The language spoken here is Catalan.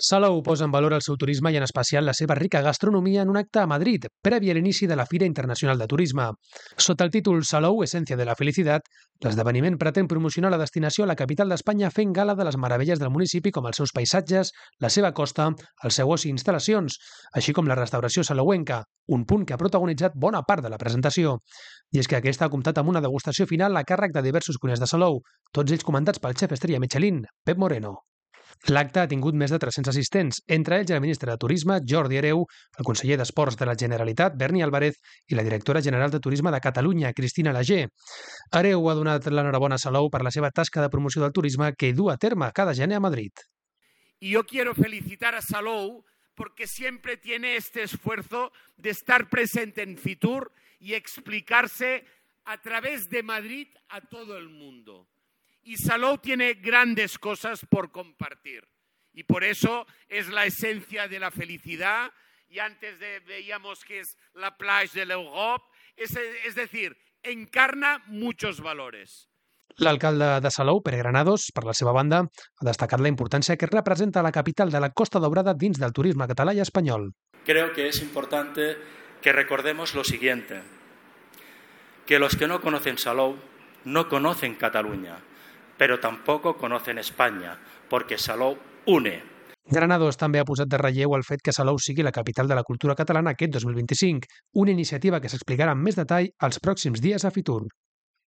Salou posa en valor el seu turisme i en especial la seva rica gastronomia en un acte a Madrid, previ a l'inici de la Fira Internacional de Turisme. Sota el títol Salou, Essència de la Felicitat, l'esdeveniment pretén promocionar la destinació a la capital d'Espanya fent gala de les meravelles del municipi com els seus paisatges, la seva costa, el seu oci i instal·lacions, així com la restauració salouenca, un punt que ha protagonitzat bona part de la presentació. I és que aquesta ha comptat amb una degustació final a càrrec de diversos cuiners de Salou, tots ells comandats pel xef estrella Michelin, Pep Moreno. L'acte ha tingut més de 300 assistents, entre ells el ministre de Turisme, Jordi Hereu, el conseller d'Esports de la Generalitat, Berni Álvarez, i la directora general de Turisme de Catalunya, Cristina Lager. Hereu ha donat l'enhorabona a Salou per la seva tasca de promoció del turisme que du a terme cada gener a Madrid. Y yo quiero felicitar a Salou porque siempre tiene este esfuerzo de estar presente en Fitur y explicarse a través de Madrid a todo el mundo. Y Salou tiene grandes cosas por compartir. Y por eso es la esencia de la felicidad. Y antes veíamos que es la plage de l'Europe. Es decir, encarna muchos valores. L'alcalde de Salou, Pere Granados, per la seva banda, ha destacat la importància que representa la capital de la Costa Daurada dins del turisme català i espanyol. Creo que es importante que recordemos lo siguiente, que los que no conocen Salou no conocen Cataluña, pero tampoco conocen España, porque Salou une. Granados també ha posat de relleu el fet que Salou sigui la capital de la cultura catalana aquest 2025, una iniciativa que s'explicarà amb més detall els pròxims dies a Fitur.